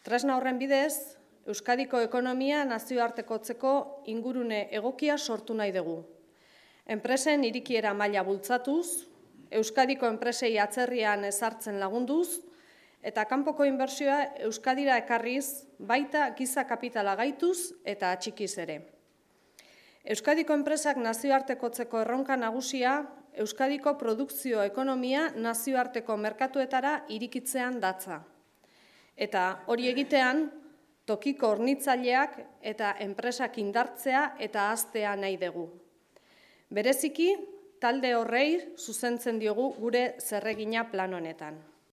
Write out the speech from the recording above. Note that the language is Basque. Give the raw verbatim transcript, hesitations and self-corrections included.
Tresna horren bidez, Euskadiko ekonomia nazioartekotzeko ingurune egokia sortu nahi dugu. Enpresen irikiera maila bultzatuz, Euskadiko enpresei atzerrian ezartzen lagunduz, eta kanpoko inbertsioa Euskadira ekarriz, baita giza kapitala gaituz eta atxikiz ere. Euskadiko enpresak nazioartekotzeko erronka nagusia, Euskadiko produkzio ekonomia nazioarteko merkatuetara irikitzean datza. Eta hori egitean, tokiko hornitzaileak eta enpresak indartzea eta haztea nahi dugu. Bereziki, talde horrei zuzentzen diogu gure zerregina plan honetan.